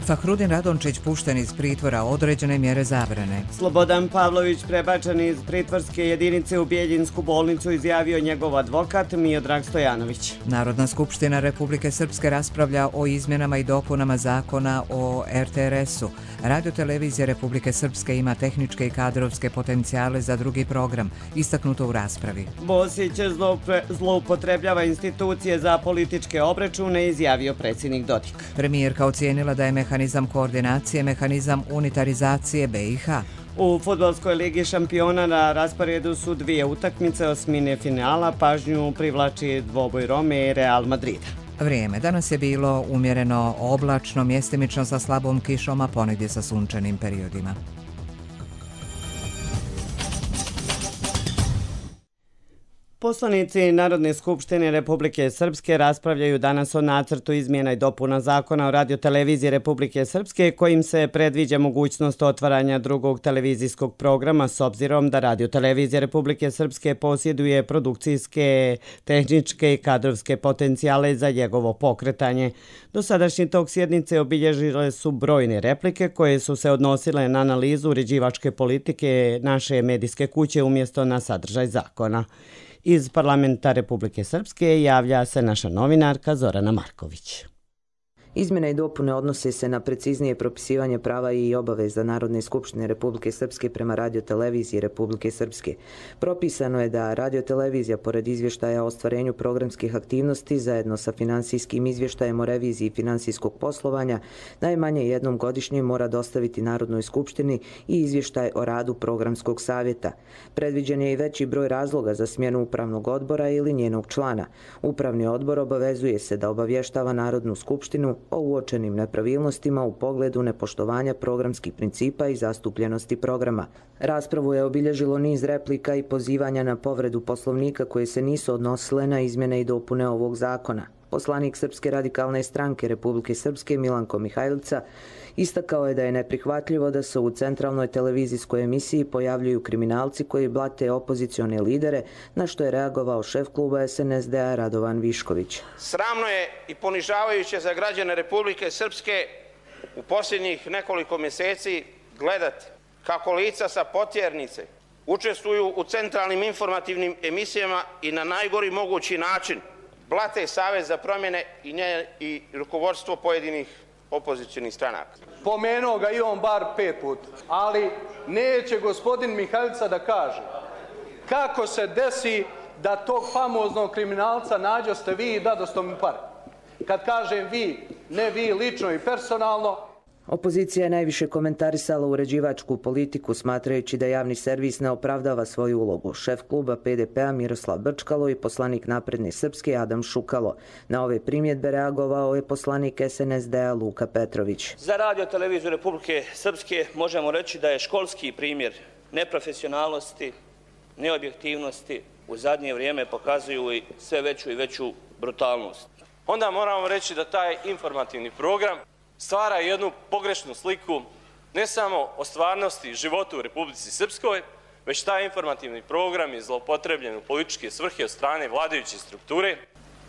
Fahrudin Radončić pušten iz pritvora, određene mjere zabrane. Slobodan Pavlović prebačen iz pritvorske jedinice u Bjeljinsku bolnicu, izjavio njegov advokat Miodrag Stojanović. Narodna skupština Republike Srpske raspravlja o izmjenama i dopunama zakona o RTS-u. Radio-televizija Republike Srpske ima tehničke i kadrovske potencijale za drugi program, istaknuto u raspravi. Bosić zloupotrebljava institucije za političke obračune, izjavio predsjednik Dodik. Premijerka ocijenila da je mehanizam koordinacije mehanizam unitarizacije BiH. U fudbalskoj ligi šampiona na rasporedu su dvije utakmice osmine finala, pažnju privlači dvoboj Rome i Real Madrida. Vrijeme. Danas je bilo umjereno oblačno, mjestimično sa slabom kišom, a ponegdje sa sunčanim periodima. Poslanici Narodne skupštine Republike Srpske raspravljaju danas o nacrtu izmjena i dopuna zakona o radioteleviziji Republike Srpske, kojim se predviđa mogućnost otvaranja drugog televizijskog programa s obzirom da radiotelevizija Republike Srpske posjeduje produkcijske, tehničke i kadrovske potencijale za njegovo pokretanje. Dosadašnji tok sjednice obilježile su brojne replike koje su se odnosile na analizu uređivačke politike naše medijske kuće umjesto na sadržaj zakona. Iz parlamenta Republike Srpske javlja se naša novinarka Zorana Marković. Izmjene i dopune odnose se na preciznije propisivanje prava i obaveza Narodne skupštine Republike Srpske prema radioteleviziji Republike Srpske. Propisano je da radiotelevizija, pored izvještaja o ostvarenju programskih aktivnosti, zajedno sa finansijskim izvještajem o reviziji finansijskog poslovanja, najmanje jednom godišnje mora dostaviti Narodnoj skupštini i izvještaj o radu programskog savjeta. Predviđen je i veći broj razloga za smjenu upravnog odbora ili njenog člana. Upravni odbor obavezuje se da obavještava Narodnu skupštinu o uočenim nepravilnostima u pogledu nepoštovanja programskih principa i zastupljenosti programa. Raspravu je obilježilo niz replika i pozivanja na povredu Poslovnika koje se nisu odnosile na izmjene i dopune ovog zakona. Poslanik Srpske radikalne stranke Republike Srpske Milanko Mihajlica istakao je da je neprihvatljivo da se u centralnoj televizijskoj emisiji pojavljuju kriminalci koji blate opozicione lidere, na što je reagovao šef kluba SNSD-a Radovan Višković. Sramno je i ponižavajuće za građane Republike Srpske u posljednjih nekoliko mjeseci gledati kako lica sa potjernice učestvuju u centralnim informativnim emisijama i na najgori mogući način blate Savez za promjene i rukovodstvo pojedinih opozicionih stranaka. Pomenuo ga i on bar 5 puta, ali neće gospodin Mihajlica da kaže kako se desi da tog famoznog kriminalca nađoste vi i dadoste mu pare. Kad kažem vi, ne vi lično i personalno. Opozicija je najviše komentarisala uređivačku politiku, smatrajući da javni servis ne opravdava svoju ulogu. Šef kluba PDP-a Miroslav Brčkalo i poslanik Napredne Srpske Adam Šukalo. Na ove primjedbe reagovao je poslanik SNSD-a Luka Petrović. Za radio-televiziju Republike Srpske možemo reći da je školski primjer neprofesionalnosti, neobjektivnosti u zadnje vrijeme pokazuju i sve veću i veću brutalnost. Onda moramo reći da taj informativni program stvara jednu pogrešnu sliku ne samo o stvarnosti i životu u Republici Srpskoj, već taj informativni program je zloupotrebljen u političke svrhe od strane vladajuće strukture.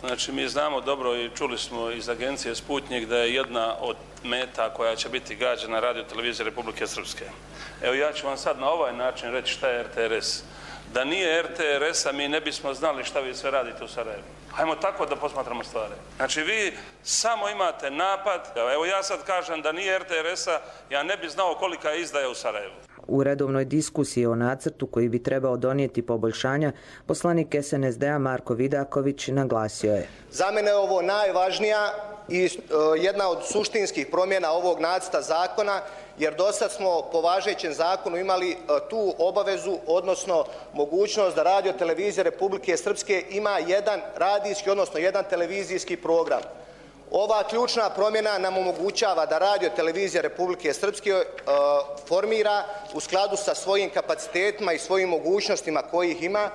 Znači, mi znamo dobro i čuli smo iz agencije Sputnik da je jedna od meta koja će biti gađana radio-televizija Republike Srpske. Evo, ja ću vam sad na ovaj način reći šta je RTRS. Da nije RTRS-a, mi ne bismo znali šta vi sve radite u Sarajevu. Hajmo tako da posmatramo stvari. Znači, vi samo imate napad. Evo, ja sad kažem da nije RTRS-a, ja ne bi znao kolika je izdaja u Sarajevu. U redovnoj diskusiji o nacrtu koji bi trebao donijeti poboljšanja, poslanik SNSD-a Marko Vidaković naglasio je. Za mene je ovo najvažnija i jedna od suštinskih promjena ovog nacrta zakona, jer dosad smo po važećem zakonu imali tu obavezu, odnosno mogućnost da radio-televizija Republike Srpske ima jedan radijski, odnosno jedan televizijski program. Ova ključna promjena nam omogućava da radio-televizija Republike Srpske formira u skladu sa svojim kapacitetima i svojim mogućnostima kojih ima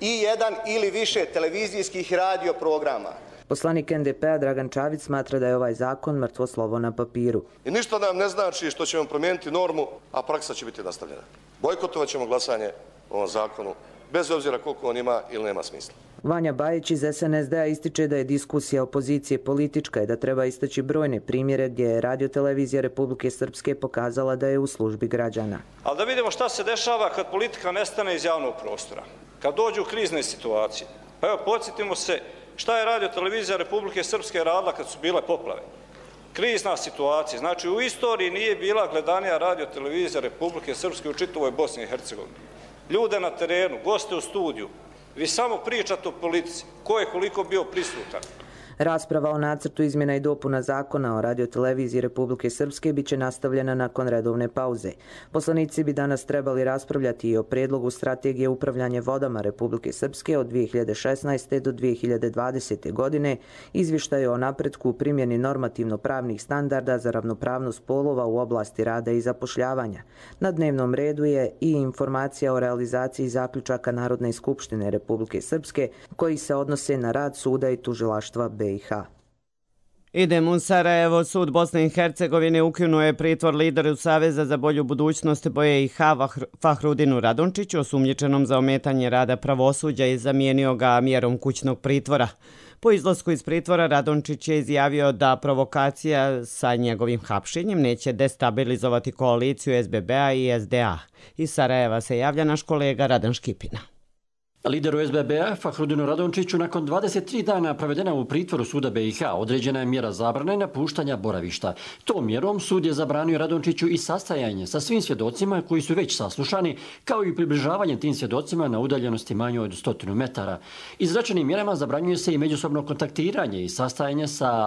i jedan ili više televizijskih radio programa. Poslanik NDP-a Dragan Čavić smatra da je ovaj zakon mrtvo slovo na papiru. I ništa nam ne znači što ćemo promijeniti normu, a praksa će biti nastavljena. Bojkotovat ćemo glasanje o ovom zakonu bez obzira koliko on ima ili nema smisla. Vanja Bajić iz SNSD-a ističe da je diskusija opozicije politička i da treba istaći brojne primjere gdje je Radiotelevizija Republike Srpske pokazala da je u službi građana. Ali da vidimo šta se dešava kad politika nestane iz javnog prostora, kad dođu krizne situacije. Pa evo, podsjetimo se šta je Radiotelevizija Republike Srpske radila kad su bile poplave. Krizna situacija. Znači, u istoriji nije bila gledanija Radiotelevizija Republike Srpske u čitavoj Bosni i Hercegovini. Ljude na terenu, goste u studiju. Vi samo pričate o politici. Ko je koliko bio prisutan? Rasprava o nacrtu izmjena i dopuna zakona o Radioteleviziji Republike Srpske biće nastavljena nakon redovne pauze. Poslanici bi danas trebali raspravljati i o prijedlogu strategije upravljanja vodama Republike Srpske od 2016. do 2020. godine, izvještaju o napretku u primjeni normativno-pravnih standarda za ravnopravnost polova u oblasti rada i zapošljavanja. Na dnevnom redu je i informacija o realizaciji zaključaka Narodne skupštine Republike Srpske koji se odnose na rad suda i tužilaštva BiH. Idemo u Sarajevo. Sud Bosne i Hercegovine ukinuo je pritvor lideru Saveza za bolju budućnost BiH Fahrudinu Radončiću, osumnjičenom za ometanje rada pravosuđa, i zamijenio ga mjerom kućnog pritvora. Po izlasku iz pritvora Radončić je izjavio da provokacija sa njegovim hapšenjem neće destabilizovati koaliciju SBB-a i SDA. Iz Sarajeva se javlja naš kolega Radan Škipina. Lideru SBB-a Fahrudinu Radončiću nakon 23 dana provedena u pritvoru suda BiH određena je mjera zabrane napuštanja boravišta. Tom mjerom sud je zabranio Radončiću i sastajanje sa svim svjedocima koji su već saslušani, kao i približavanje tim svjedocima na udaljenosti manje od 100 metara. Izrečenim mjerama zabranjuje se i međusobno kontaktiranje i sastajanje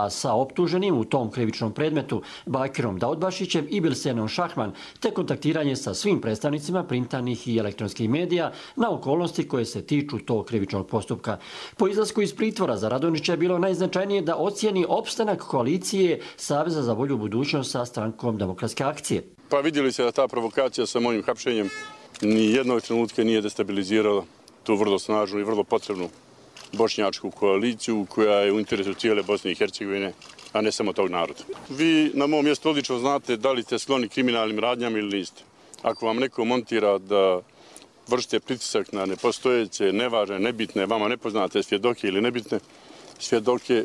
sa optuženim u tom krivičnom predmetu Bakirom Daudbašićem i Bilsenom Šahman, te kontaktiranje sa svim predstavnicima printanih i elektronskih medija na okolnosti koje se tiču tog krivičnog postupka. Po izlasku iz pritvora za Radončića je bilo najznačajnije da ocijeni opstanak koalicije Saveza za bolju budućnost sa strankom Demokratske akcije. Pa vidjeli se da ta provokacija sa mojim hapšenjem ni jednog trenutka nije destabilizirala tu vrlo snažnu i vrlo potrebnu bošnjačku koaliciju koja je u interesu cijele Bosne i Hercegovine, a ne samo tog naroda. Vi na mom mjestu odlično znate da li ste skloni kriminalnim radnjama ili niste. Ako vam neko montira da vršite pritisak na nepostojeće, nevažne, nebitne, vama nepoznate svjedoke ili nebitne svjedoke,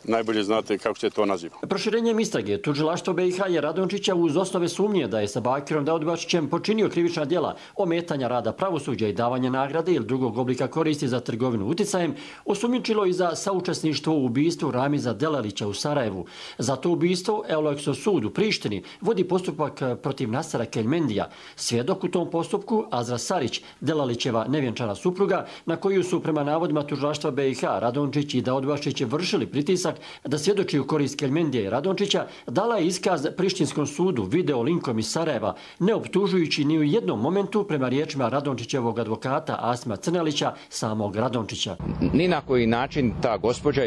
najbolje znate kako se to naziva. Proširenjem istrage tužilaštvo BiH je Radončića uz osnove sumnje da je sa Bakirom Daudbašićem počinio krivična djela ometanja rada pravosuđa i davanja nagrade ili drugog oblika koristi za trgovinu uticajem osumnjičilo i za saučesništvo u ubistvu Ramiza Delalića u Sarajevu. Za to ubistvo Eulekso sud u Prištini vodi postupak protiv Nasera Keljmendija. Svjedok u tom postupku Azra Sarić, Delalićeva nevjenčana supruga, na koju su prema navodima tužilaštva BiH Radončić i Daudbašić vršili pritisak da svjedoči u korist Keljmendija i Radončića, dala je iskaz Prištinskom sudu video linkom iz Sarajeva, ne optužujući ni u jednom momentu prema riječima Radončićevog advokata Asima Crnelića samog Radončića. Ni na koji način ta gospođa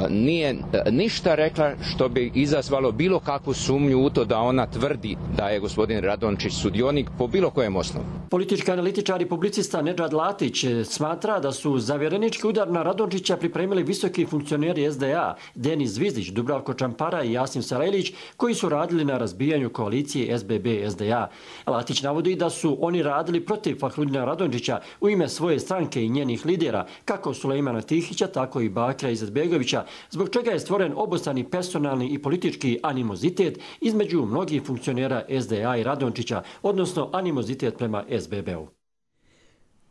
nije ništa rekla što bi izazvalo bilo kakvu sumnju u to da ona tvrdi da je gospodin Radončić sudionik po bilo kojem osnovu. Politički analitičar i publicista Nedžad Latić smatra da su za vjerenički udar na Radončića pripremili visoki funkcioneri SDA, Denis Zvizdić, Dubravko Čampara i Jasim Sarajlić, koji su radili na razbijanju koalicije SBB-SDA. Latić navodi da su oni radili protiv Fahrudina Radončića u ime svoje stranke i njenih lidera, kako Sulejmana Tihića, tako i Bakira Izetbegovića, zbog čega je stvoren obostrani personalni i politički animozitet između mnogih funkcionera SDA i Radončića, odnosno animozitet prema SBB-u.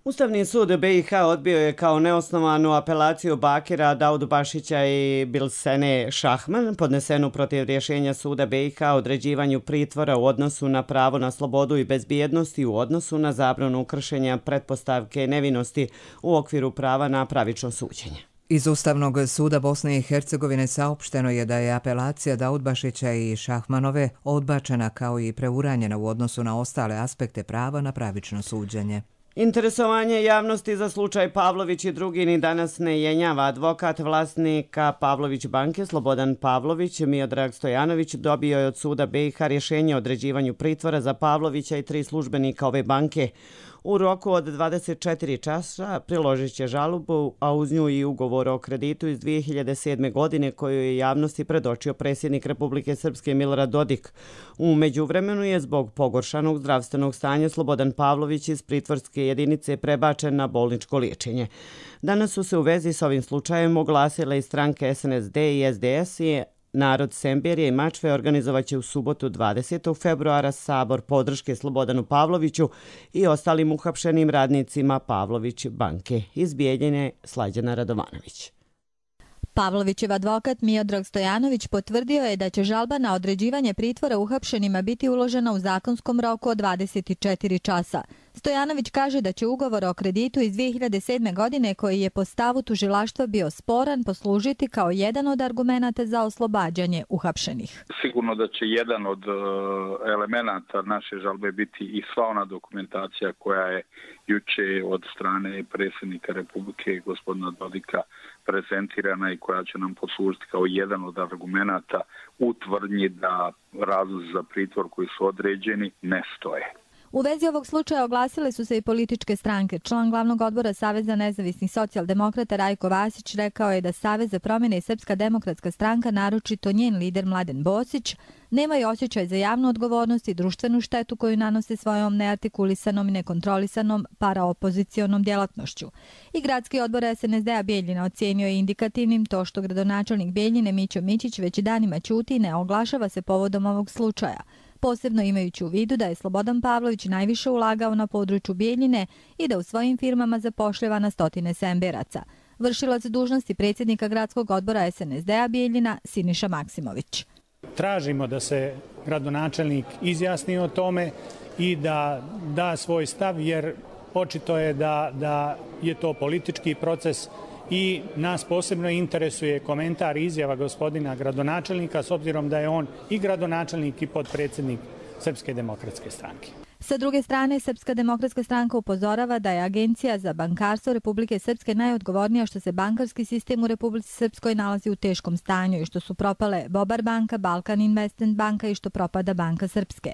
Ustavni sud BiH odbio je kao neosnovanu apelaciju Bakira Daudbašića i Bilsene Šahman podnesenu protiv rješenja suda BiH o određivanju pritvora u odnosu na pravo na slobodu i bezbjednost i u odnosu na zabranu kršenja pretpostavke nevinosti u okviru prava na pravično suđenje. Iz Ustavnog suda Bosne i Hercegovine saopšteno je da je apelacija Daudbašića i Šahmanove odbačena kao i preuranjena u odnosu na ostale aspekte prava na pravično suđenje. Interesovanje javnosti za slučaj Pavlović i drugi ni danas ne jenjava. Advokat vlasnika Pavlović banke Slobodan Pavlović, Miodrag Stojanović, dobio je od suda BiH rješenje o određivanju pritvora za Pavlovića i 3 službenika ove banke. U roku od 24 časa priložit će žalbu, a uz nju i ugovor o kreditu iz 2007. godine koju je javnosti predočio predsjednik Republike Srpske Milorad Dodik. U međuvremenu je zbog pogoršanog zdravstvenog stanja Slobodan Pavlović iz pritvorske jedinice prebačen na bolničko liječenje. Danas su se u vezi s ovim slučajem oglasile i stranke SNSD i SDS i Narod Semberije i Mačve organizovaće u subotu 20. februara sabor podrške Slobodanu Pavloviću i ostalim uhapšenim radnicima Pavlović banke. Iz Bijeljine Slađana Radovanović. Pavlovićev advokat Miodrag Stojanović potvrdio je da će žalba na određivanje pritvora uhapšenima biti uložena u zakonskom roku od 24 časa. Stojanović kaže da će ugovor o kreditu iz 2007. godine koji je po stavu tužilaštva bio sporan poslužiti kao jedan od argumenata za oslobađanje uhapšenih. Sigurno da će jedan od elemenata naše žalbe biti i sva ona dokumentacija koja je juče od strane predsjednika Republike gospodina Dodika prezentirana i koja će nam poslužiti kao jedan od argumenata u tvrdnji da razlozi za pritvor koji su određeni ne stoje. U vezi ovog slučaja oglasile su se i političke stranke. Član glavnog odbora Saveza nezavisnih socijaldemokrata Rajko Vasić rekao je da Savez za promjene i Srpska demokratska stranka, naročito njen lider Mladen Bosić, nemaju osjećaj za javnu odgovornost i društvenu štetu koju nanose svojom neartikulisanom i nekontrolisanom paraopozicionom djelatnošću. I gradski odbor SNSD-a Bijeljina ocijenio je indikativnim to što gradonačelnik Bijeljine Mićo Mićić već danima ćuti i ne oglašava se povodom ovog slučaja, posebno imajući u vidu da je Slobodan Pavlović najviše ulagao na području Bijeljine i da u svojim firmama zapošljava na stotine Semberaca. Vršilac dužnosti predsjednika gradskog odbora SNSD-a Bijeljina Siniša Maksimović. Tražimo da se gradonačelnik izjasni o tome i da da svoj stav, jer očito je da je to politički proces i nas posebno interesuje komentar i izjava gospodina gradonačelnika s obzirom da je on i gradonačelnik i potpredsjednik Srpske demokratske stranke. Sa druge strane, Srpska demokratska stranka upozorava da je Agencija za bankarstvo Republike Srpske najodgovornija što se bankarski sistem u Republici Srpskoj nalazi u teškom stanju i što su propale Bobar banka, Balkan Investment banka i što propada Banka Srpske.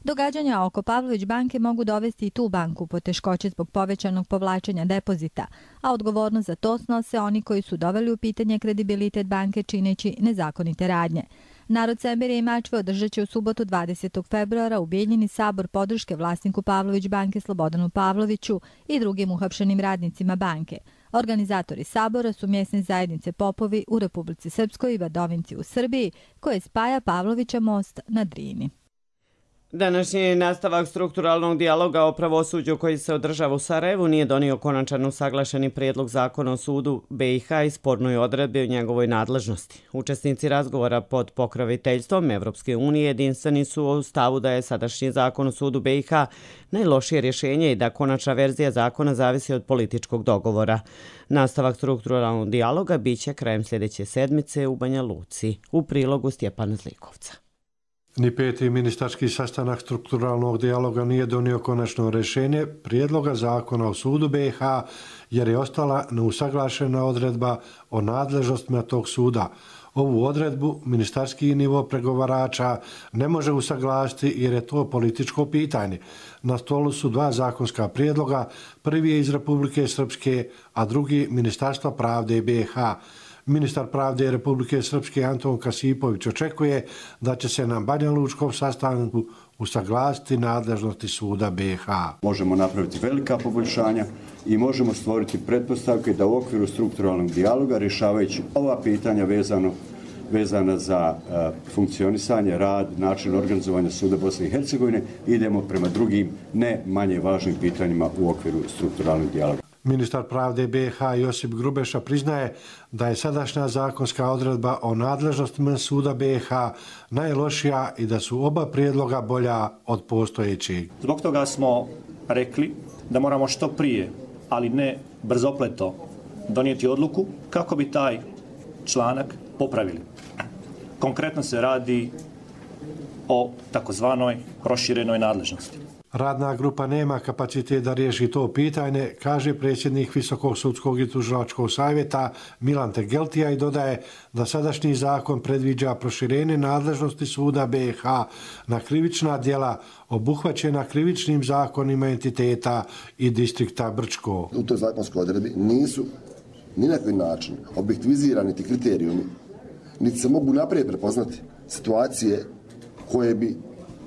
Događanja oko Pavlović banke mogu dovesti i tu banku po teškoće zbog povećanog povlačenja depozita, a odgovornost za to snose oni koji su doveli u pitanje kredibilitet banke čineći nezakonite radnje. Narod Semberije i Mačve održat će u subotu 20. februara u Bijeljini sabor podrške vlasniku Pavlović banke Slobodanu Pavloviću i drugim uhapšenim radnicima banke. Organizatori sabora su mjesne zajednice Popovi u Republici Srpskoj i Vadovinci u Srbiji, koje spaja Pavlovića most na Drini. Današnji nastavak strukturalnog dijaloga o pravosuđu koji se održava u Sarajevu nije donio konačan usaglašeni prijedlog zakona o sudu BiH i spornoj odredbi o njegovoj nadležnosti. Učesnici razgovora pod pokroviteljstvom Evropske unije jedinstveni su u stavu da je sadašnji zakon o sudu BiH najlošije rješenje i da konačna verzija zakona zavisi od političkog dogovora. Nastavak strukturalnog dijaloga biće krajem sljedeće sedmice u Banja Luci. U prilogu Stjepana Zlikovca. Ni peti ministarski sastanak strukturalnog dijaloga nije donio konačno rješenje prijedloga zakona o sudu BiH jer je ostala neusaglašena odredba o nadležnostima tog suda. Ovu odredbu ministarski nivo pregovarača ne može usaglasiti jer je to političko pitanje. Na stolu su dva zakonska prijedloga, prvi je iz Republike Srpske, a drugi Ministarstva pravde BiH. Ministar pravde Republike Srpske Anton Kasipović očekuje da će se na banjalučkom sastanku usaglasiti nadležnosti suda BiH. Možemo napraviti velika poboljšanja i možemo stvoriti pretpostavke da u okviru strukturalnog dijaloga, rješavajući ova pitanja vezana za funkcionisanje, rad, način organizovanja suda Bosne i Hercegovine, idemo prema drugim ne manje važnim pitanjima u okviru strukturalnog dijaloga. Ministar pravde BiH Josip Grubeša priznaje da je sadašnja zakonska odredba o nadležnostima suda BiH najlošija i da su oba prijedloga bolja od postojećeg. Zbog toga smo rekli da moramo što prije, ali ne brzopleto, donijeti odluku kako bi taj članak popravili. Konkretno se radi o takozvanoj proširenoj nadležnosti. Radna grupa nema kapacitet da riješi to pitanje, kaže predsjednik Visokog sudskog i tužilačkog savjeta Milan Tegeltija i dodaje da sadašnji zakon predviđa proširenje nadležnosti suda BiH na krivična djela obuhvaćena krivičnim zakonima entiteta i distrikta Brčko. U toj zakonskoj odredbi nisu ni na koji način objektivizirani ti kriterijumi, niti se mogu naprijed prepoznati situacije koje bi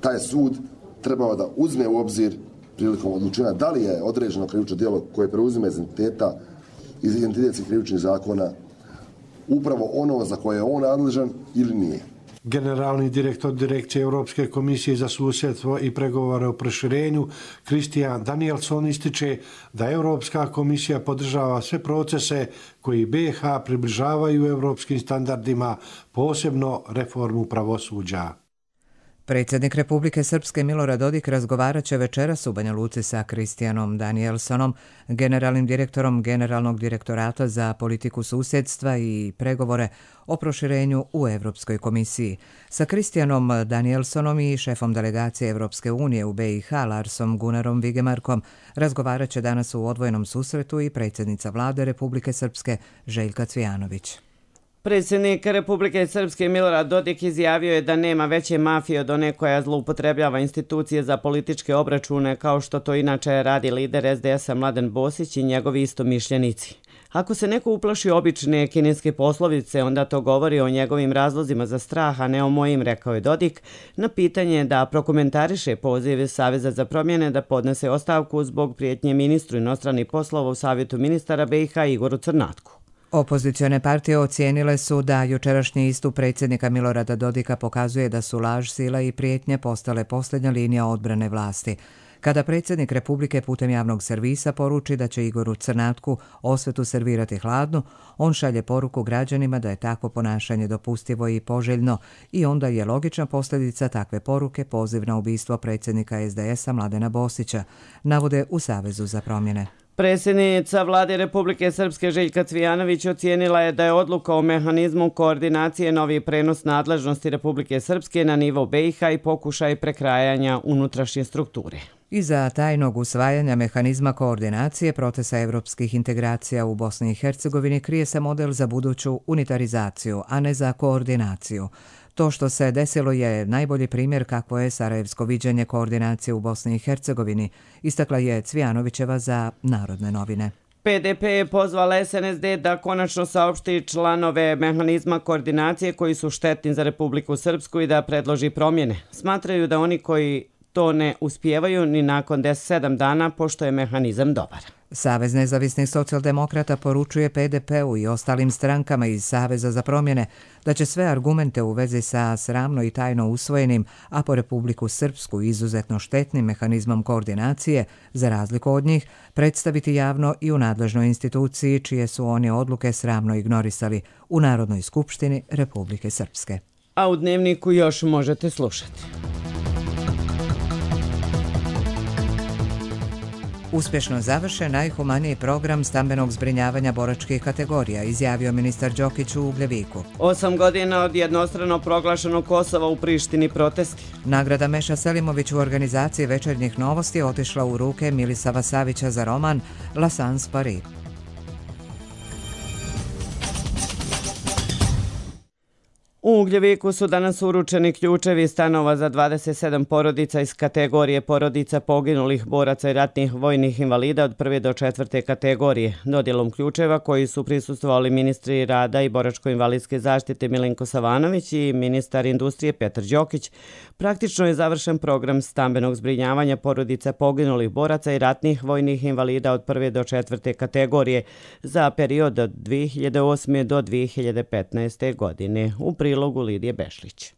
taj sud trebao da uzme u obzir prilikom odlučenja da li je određeno krivično djelo koje preuzima iz identitetskih krivičnih zakona upravo ono za koje je on nadležan ili nije. Generalni direktor Direkcije Europske komisije za susjedstvo i pregovore o proširenju Christian Danielson ističe da Europska komisija podržava sve procese koji BiH približavaju europskim standardima, posebno reformu pravosuđa. Predsjednik Republike Srpske Milorad Dodik razgovarat će večeras u Banja Luci sa Christianom Danielsonom, generalnim direktorom Generalnog direktorata za politiku susjedstva i pregovore o proširenju u Europskoj komisiji. Sa Christianom Danielsonom i šefom delegacije Europske unije u BiH Larsom Gunarom Vigemarkom razgovarat će danas u odvojenom susretu i predsjednica vlade Republike Srpske Željka Cvijanović. Predsjednik Republike Srpske Milorad Dodik izjavio je da nema veće mafije od one koja zloupotrebljava institucije za političke obračune kao što to inače radi lider SDS-a Mladen Bosić i njegovi istomišljenici. Ako se neko uplaši obične kineske poslovice, onda to govori o njegovim razlozima za strah, a ne o mojim, rekao je Dodik, na pitanje da prokomentariše pozive Saveza za promjene da podnese ostavku zbog prijetnje ministru inostranih poslova u Savjetu ministara BiH Igoru Crnatku. Opozicione partije ocijenile su da jučerašnji istup predsjednika Milorada Dodika pokazuje da su laž, sila i prijetnje postale posljednja linija odbrane vlasti. Kada predsjednik Republike putem javnog servisa poruči da će Igoru Crnatku osvetu servirati hladnu, on šalje poruku građanima da je takvo ponašanje dopustivo i poželjno i onda je logična posljedica takve poruke poziv na ubistvo predsjednika SDS-a Mladena Bosića, navode u Savezu za promjene. Predsjednica vlade Republike Srpske Željka Cvijanović ocijenila je da je odluka o mehanizmu koordinacije novi prenos nadležnosti Republike Srpske na nivo BiH i pokušaj prekrajanja unutrašnje strukture. Iza tajnog usvajanja mehanizma koordinacije procesa evropskih integracija u Bosni i Hercegovini krije se model za buduću unitarizaciju, a ne za koordinaciju. To što se desilo je najbolji primjer kakvo je sarajevsko viđenje koordinacije u Bosni i Hercegovini, istakla je Cvijanovićeva za Narodne novine. PDP je pozvala SNSD da konačno saopšti članove mehanizma koordinacije koji su štetni za Republiku Srpsku i da predloži promjene. Smatraju da oni koji to ne uspijevaju ni nakon 7 dana, pošto je mehanizam dobar. Savez nezavisnih socijaldemokrata poručuje PDP-u i ostalim strankama iz Saveza za promjene da će sve argumente u vezi sa sramno i tajno usvojenim, a po Republiku Srpsku izuzetno štetnim mehanizmom koordinacije, za razliku od njih, predstaviti javno i u nadležnoj instituciji čije su oni odluke sramno ignorisali u Narodnoj skupštini Republike Srpske. A u Dnevniku još možete slušati. Uspješno završen najhumaniji program stambenog zbrinjavanja boračkih kategorija, izjavio ministar Đokić u Ugljeviku. 8 godina od jednostrano proglašenog Kosova u Prištini protesti. Nagrada Meša Selimović u organizaciji Večernjih novosti otišla u ruke Milisava Savića za roman La Sans Paris. U Ugljeviku su danas uručeni ključevi stanova za 27 porodica iz kategorije porodica poginulih boraca i ratnih vojnih invalida od 1. do 4. kategorije. Dodjelom ključeva koji su prisustvovali ministri rada i boračko-invalidske zaštite Milenko Savanović i ministar industrije Petar Đokić, praktično je završen program stambenog zbrinjavanja porodica poginulih boraca i ratnih vojnih invalida od 1. do 4. kategorije za period od 2008. do 2015. godine. U prilogu Lidije Bešlić.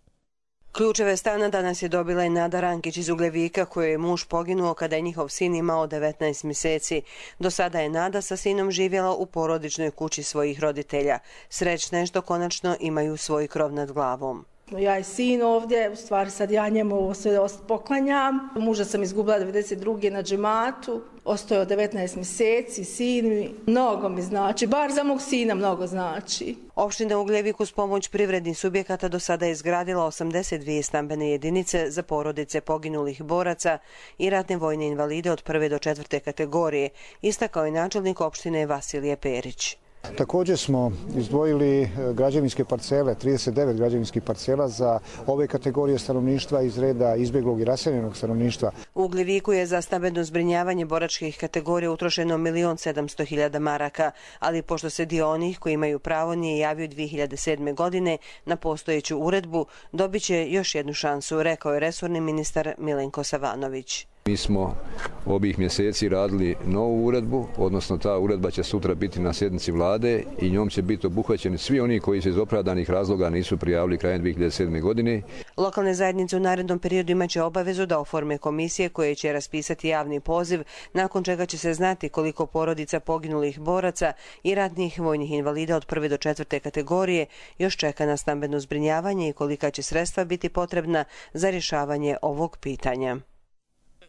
Ključeve stana danas je dobila i Nada Rankić iz Ugljevika, kojoj je muž poginuo kada je njihov sin imao 19 mjeseci. Do sada je Nada sa sinom živjela u porodičnoj kući svojih roditelja. Srećna je što konačno imaju svoj krov nad glavom. Ja i sin ovdje, u stvari sad ja njemu ovo sve poklanjam. Muža sam izgubila 92. na džematu, ostao 19 mjeseci, sin mi, mnogo mi znači, bar za mog sina mnogo znači. Opština Ugljevik uz pomoć privrednih subjekata do sada je izgradila 82 stambene jedinice za porodice poginulih boraca i ratne vojne invalide od 1. do 4. kategorije, istakao je načelnik opštine Vasilije Perić. Također smo izdvojili građevinske parcele, 39 građevinskih parcela za ove kategorije stanovništva iz reda izbjeglog i raseljenog stanovništva. U Ugljeviku je za stambeno zbrinjavanje boračkih kategorija utrošeno 1.700.000 maraka, ali pošto se dio onih koji imaju pravo nije javio 2007. godine na postojeću uredbu, dobit će još jednu šansu, rekao je resorni ministar Milenko Savanović. Mi smo ovih mjeseci radili novu uredbu, odnosno ta uredba će sutra biti na sjednici vlade i njom će biti obuhvaćeni svi oni koji se iz opravdanih razloga nisu prijavili krajem 2007. godine. Lokalne zajednice u narednom periodu imaće obavezu da oforme komisije koje će raspisati javni poziv, nakon čega će se znati koliko porodica poginulih boraca i ratnih vojnih invalida od 1. do 4. kategorije još čeka na stambeno zbrinjavanje i kolika će sredstva biti potrebna za rješavanje ovog pitanja.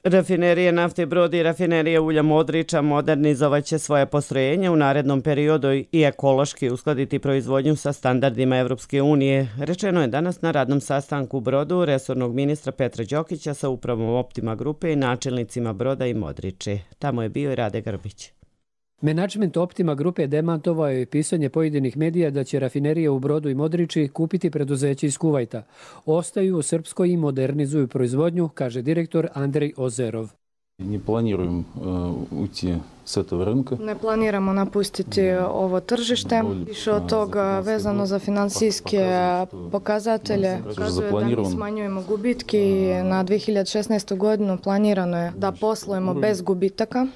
Rafinerije nafte Brod i rafinerije ulja Modriča modernizovat će svoje postrojenje u narednom periodu i ekološki uskladiti proizvodnju sa standardima Evropske unije. Rečeno je danas na radnom sastanku u Brodu resornog ministra Petra Đokića sa upravom Optima grupe i načelnicima Broda i Modriče. Tamo je bio i Rade Grbić. Menadžment Optima grupe demantovao je pisanje pojedinih medija da će rafinerije u Brodu i Modriči kupiti preduzeće iz Kuvajta. Ostaju u Srpskoj i modernizuju proizvodnju, kaže direktor Andrej Ozerov. Ne planiramo ući sa tog rynka. Ne planiramo napustiti ovo tržište. Više od toga vezano za financijske pokazatelje. Pokazuje da mi smanjujemo gubitke i na 2016. godinu planirano je da poslujemo bez gubitaka.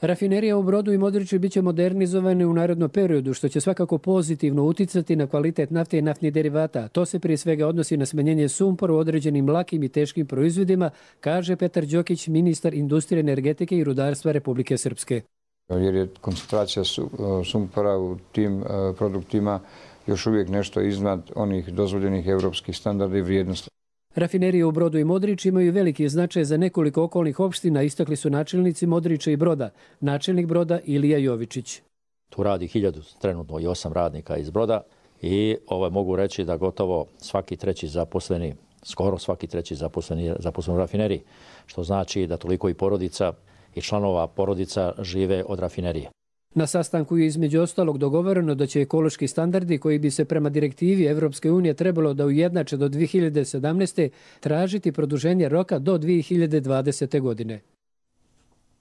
Rafinerija u Brodu i Modriči biće modernizovane u narednom periodu, što će svakako pozitivno uticati na kvalitet nafte i naftnih derivata. To se prije svega odnosi na smanjenje sumpora u određenim lakim i teškim proizvodima, kaže Petar Đokić, ministar industrije, energetike i rudarstva Republike Srpske. Jer je koncentracija sumpora u tim produktima još uvijek nešto iznad onih dozvoljenih evropskih standarda i vrijednosti. Rafinerije u Brodu i Modriči imaju veliki značaj za nekoliko okolnih opština, istakli su načelnici Modriča i Broda. Načelnik Broda Ilija Jovičić. Tu radi 1000 trenutno i 8 radnika iz Broda i mogu reći da gotovo svaki treći zaposleni, skoro svaki treći zaposleni u rafineriji, što znači da toliko i porodica i članova porodica žive od rafinerije. Na sastanku je između ostalog dogovoreno da će ekološki standardi koji bi se prema direktivi Evropske unije trebalo da ujednače do 2017. tražiti produženje roka do 2020. godine.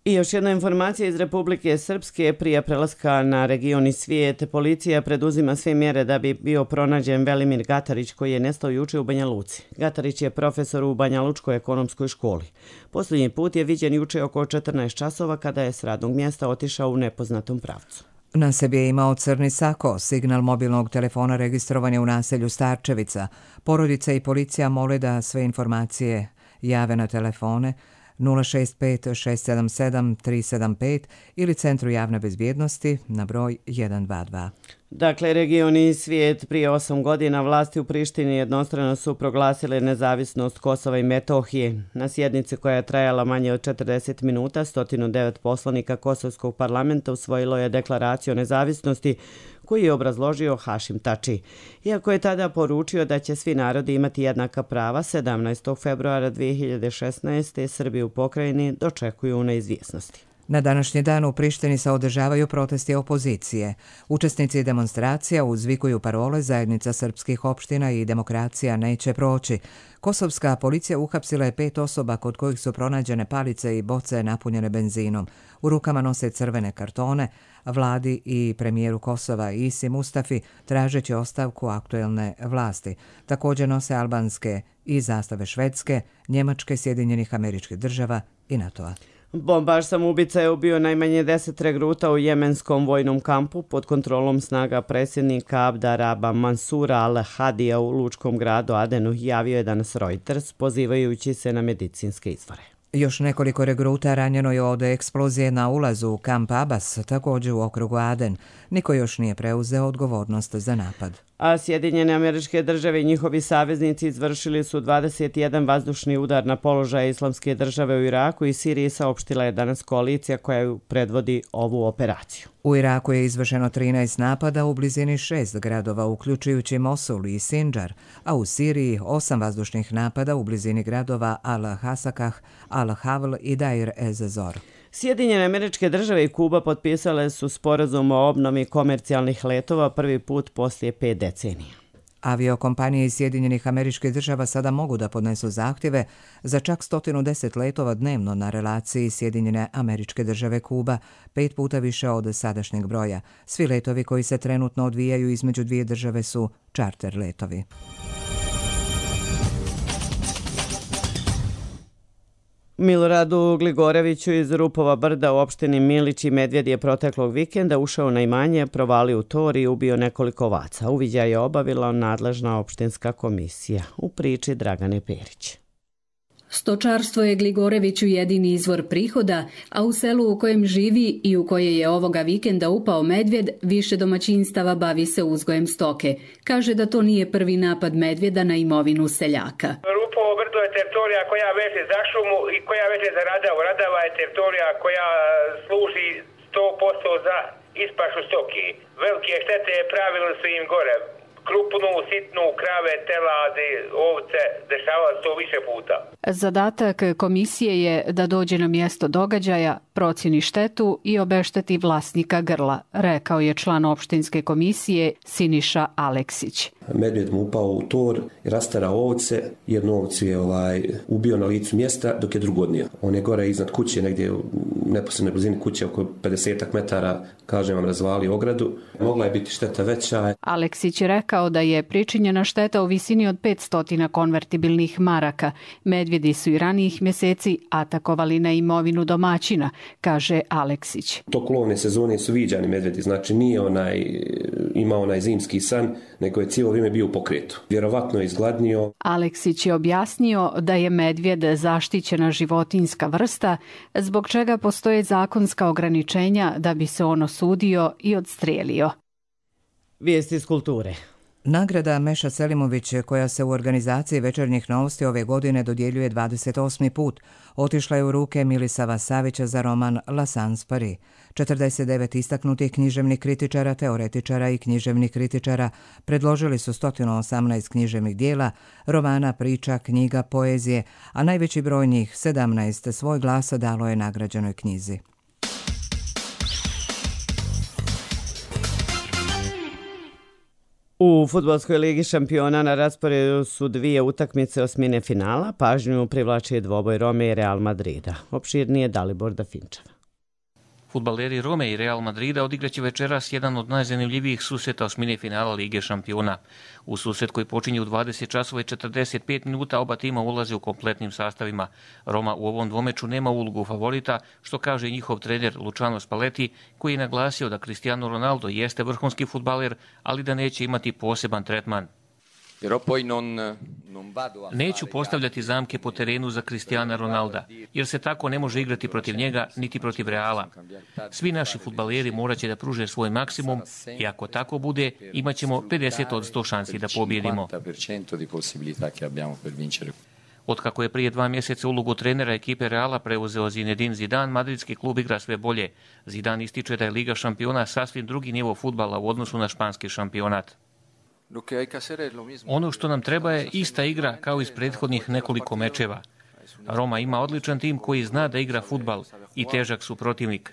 I još jedna informacija iz Republike Srpske. Prije prelaska na region i svijet, policija preduzima sve mjere da bi bio pronađen Velimir Gatarić koji je nestao juče u Banja Luci. Gatarić je profesor u Banja Lučkoj ekonomskoj školi. Posljednji put je viđen juče oko 14 časova kada je s radnog mjesta otišao u nepoznatom pravcu. Na sebi je imao crni sako, signal mobilnog telefona registrovan je u naselju Starčevica. Porodica i policija mole da sve informacije jave na telefone 065 677 375 ili Centru javne bezbjednosti na broj 122. Dakle, region i svijet. Prije 8 godina vlasti u Prištini jednostrano su proglasile nezavisnost Kosova i Metohije. Na sjednici koja je trajala manje od 40 minuta, 109 poslanika Kosovskog parlamenta usvojilo je deklaraciju o nezavisnosti koju je obrazložio Hašim Tači. Iako je tada poručio da će svi narodi imati jednaka prava, 17. februara 2016. Srbi u pokrajini dočekuju neizvjesnosti. Na današnji dan u Prištini se održavaju protesti opozicije. Učesnici demonstracija uzvikuju parole Zajednica srpskih opština i demokracija neće proći. Kosovska policija uhapsila je 5 osoba kod kojih su pronađene palice i boce napunjene benzinom. U rukama nose crvene kartone, vladi i premijeru Kosova Isi Mustafi tražeći ostavku aktuelne vlasti. Također nose albanske i zastave Švedske, Njemačke, Sjedinjenih Američkih Država i NATO-a. Bombaš samoubica je ubio najmanje 10 regruta u jemenskom vojnom kampu pod kontrolom snaga predsjednika Abdaraba Mansura al-Hadija u lučkom gradu Adenu, javio je danas Reuters, pozivajući se na medicinske izvore. Još nekoliko regruta ranjeno je od eksplozije na ulazu u kamp Abbas, također u okrugu Aden. Niko još nije preuzeo odgovornost za napad. A Sjedinjene Američke Države i njihovi saveznici izvršili su 21 vazdušni udar na položaje Islamske države u Iraku i Siriji, saopštila je danas koalicija koja predvodi ovu operaciju. U Iraku je izvršeno 13 napada u blizini 6 gradova, uključujući Mosul i Sinjar, a u Siriji 8 vazdušnih napada u blizini gradova Al-Hasakah, Al-Havl i Dair ez-Zor. Sjedinjene Američke Države i Kuba potpisale su sporazum o obnovi komercijalnih letova prvi put poslije 5 decenija. Aviokompanije iz Sjedinjenih Američkih Država sada mogu da podnesu zahtjeve za čak 110 letova dnevno na relaciji Sjedinjene Američke Države Kuba, 5 puta više od sadašnjeg broja. Svi letovi koji se trenutno odvijaju između dvije države su čarter letovi. Miloradu Gligoreviću iz Rupova brda u opštini Milić i Medvjed je proteklog vikenda ušao na imanje, provalio u tor i ubio nekoliko ovaca. Uviđaj je obavila nadležna opštinska komisija. U priči Dragane Perić. Stočarstvo je Gligoreviću jedini izvor prihoda, a u selu u kojem živi i u koje je ovoga vikenda upao medvjed, više domaćinstava bavi se uzgojem stoke. Kaže da to nije prvi napad medvjeda na imovinu seljaka. Rupovo brdo je teritorija koja veže za šumu i koja veže za Radavu. Radava je teritorija koja služi 100% za ispašu stoke. Velike štete pravili su im gore. Krupnu, sitnu, krave, teladi, ovce, dešava se to više puta. Zadatak komisije je da dođe na mjesto događaja, procjeni štetu i obešteti vlasnika grla, rekao je član opštinske komisije Siniša Aleksić. Medvjed mu upao u tor i rasterao ovce. Jednu ovcu je ubio na licu mjesta dok je drugu odnio. On je gore iznad kuće, negdje u neposrednoj blizini kuće, oko 50 metara, kažem vam, razvalio ogradu. Mogla je biti šteta veća. Aleksić je rekao da je pričinjena šteta u visini od 500 konvertibilnih maraka. Medvjedi su i ranijih mjeseci atakovali na imovinu domaćina, kaže Aleksić. Tok lovne sezone su viđani medvjedi, znači nije imao onaj zimski san, nego je cijelo vrijeme bio u pokretu. Vjerovatno je izgladnio. Aleksić je objasnio da je medvjed zaštićena životinjska vrsta, zbog čega postoje zakonska ograničenja da bi se on osudio i odstrijelio. Vijesti iz kulture. Nagrada Meša Selimović, koja se u organizaciji Večernjih novosti ove godine dodjeljuje 28. put, otišla je u ruke Milisava Savića za roman La Sans Paris. 49 istaknutih književnih kritičara, teoretičara i književnih kritičara predložili su 118 književnih dijela, romana, priča, knjiga, poezije, a najveći broj njih, 17, svoj glas dalo je nagrađenoj knjizi. U Fudbalskoj ligi šampiona na rasporedu su dvije utakmice osmine finala. Pažnju privlači dvoboj Rome i Real Madrida. Opširnije Dalibor Dafinčev. Fudbaleri Rome i Real Madrida odigraće večeras jedan od najzanimljivijih susreta osmine finala Lige šampiona. U susret koji počinje u 20 časova i 45 minuta oba tima ulaze u kompletnim sastavima. Roma u ovom dvomeču nema ulogu favorita, što kaže i njihov trener Luciano Spalletti, koji je naglasio da Cristiano Ronaldo jeste vrhunski fudbaler, ali da neće imati poseban tretman. Neću postavljati zamke po terenu za Cristiana Ronalda, jer se tako ne može igrati protiv njega niti protiv Reala. Svi naši fudbaleri morat će da pruže svoj maksimum i ako tako bude, imat ćemo 50% šansi da pobjedimo. Otkako je prije 2 mjeseca ulogu trenera ekipe Reala preuzeo Zinedine Zidane, madridski klub igra sve bolje. Zidane ističe da je Liga šampiona sasvim drugi nivo fudbala u odnosu na španski šampionat. Ono što nam treba je ista igra kao iz prethodnih nekoliko mečeva. Roma ima odličan tim koji zna da igra fudbal i težak su protivnik.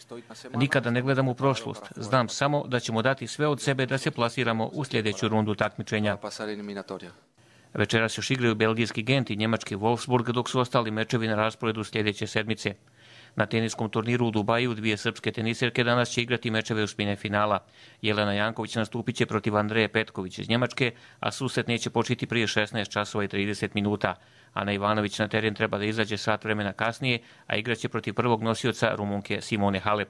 Nikada ne gledam u prošlost. Znam samo da ćemo dati sve od sebe da se plasiramo u sljedeću rundu takmičenja. Večeras još igraju belgijski Gent i njemački Wolfsburg, dok su ostali mečevi na rasporedu sljedeće sedmice. Na teniskom turniru u Dubaju dvije srpske teniserke danas će igrati mečeve osmine finala. Jelena Janković nastupit će protiv Andreje Petković iz Njemačke, a susret neće početi prije 16 časova i 30 minuta. Ana Ivanović na teren treba da izađe sat vremena kasnije, a igraće protiv prvog nosioca Rumunke Simone Halep.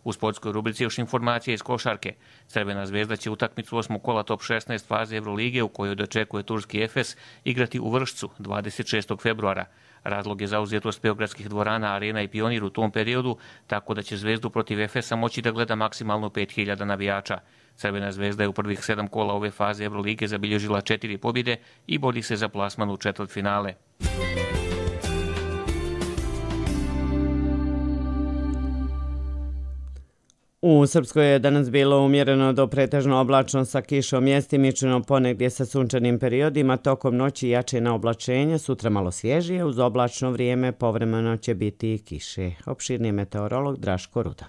U sportskoj rubrici još informacije iz košarke. Crvena zvezda će utakmicu 8. kola top 16 faze Evrolige u kojoj dočekuje turski Efes igrati u Vršcu 26. februara. Razlog je zauzetost beogradskih dvorana, Arena i Pionir u tom periodu, tako da će Zvezdu protiv Efesa moći da gleda maksimalno 5000 navijača. Crvena zvezda je u prvih 7 kola ove faze Evrolige zabilježila 4 pobjede i bori se za plasman u četvrtfinale. U Srpskoj je danas bilo umjereno do pretežno oblačno sa kišom, mjestimično ponegdje sa sunčanim periodima, tokom noći jačina oblačenja, sutra malo svježije, uz oblačno vrijeme povremeno će biti i kiše. Opširni meteorolog Draško Rudan.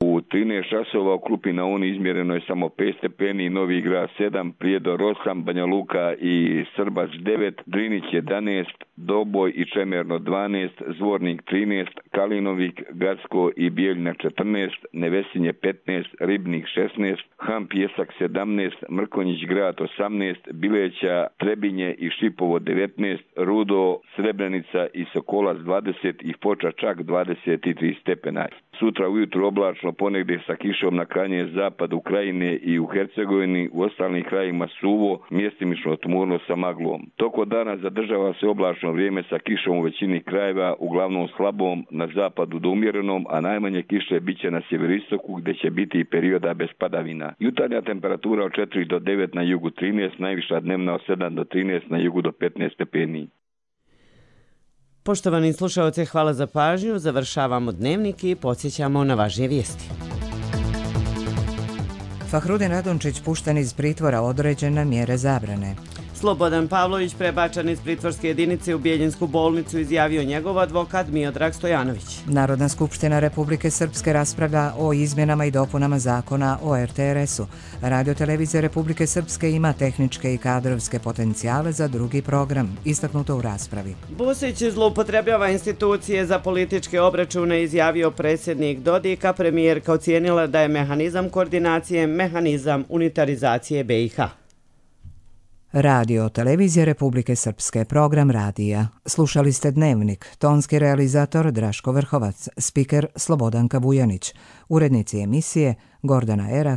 U 13 časova u Klupi na Uni izmjereno je samo 5 stepeni, Novi Grad 7, Prijedor 8, Banja Luka i Srbac 9, Drinić 11, Doboj i Čemerno 12, Zvornik 13, Kalinovik, Gacko i Bijeljina 14, Nevesinje 15, Ribnik 16, Han Pjesak 17, Mrkonjić Grad 18, Bileća, Trebinje i Šipovo 19, Rudo, Srebrenica i Sokolac 20 i Foča čak 23 stepena. Sutra ujutru oblačno, ponegdje sa kišom na krajnje zapadu Ukrajine i u Hercegovini, u ostalim krajima suvo, mjestimično tmurno sa maglom. Toko dana zadržava se oblačno vrijeme sa kišom u većini krajeva, uglavnom slabom, na zapadu do umjerenom, a najmanje kiše biće na sjeveristoku gdje će biti i perioda bez padavina. Jutarnja temperatura od 4 do 9 na jugu 13, najviša dnevna od 7 do 13, na jugu do 15 stepeni. Poštovani slušalci, hvala za pažnju. Završavamo dnevnik i podsjećamo na važnije vijesti. Fahrudin Radončić pušten iz pritvora, određene mjere zabrane. Slobodan Pavlović prebačen iz pritvorske jedinice u Bijeljinsku bolnicu, izjavio njegov advokat Miodrag Stojanović. Narodna skupština Republike Srpske raspravlja o izmjenama i dopunama zakona o RTRS-u. Radiotelevizija Republike Srpske ima tehničke i kadrovske potencijale za drugi program, istaknuto u raspravi. Busić zloupotrebljava institucije za političke obračune, izjavio predsjednik Dodika. Premijerka ocijenila da je mehanizam koordinacije mehanizam unitarizacije BiH. Radio Televizija Republike Srpske, program radija. Slušali ste Dnevnik, tonski realizator Draško Vrhovac, spiker Slobodanka Bujanić, urednici emisije Gordana Era,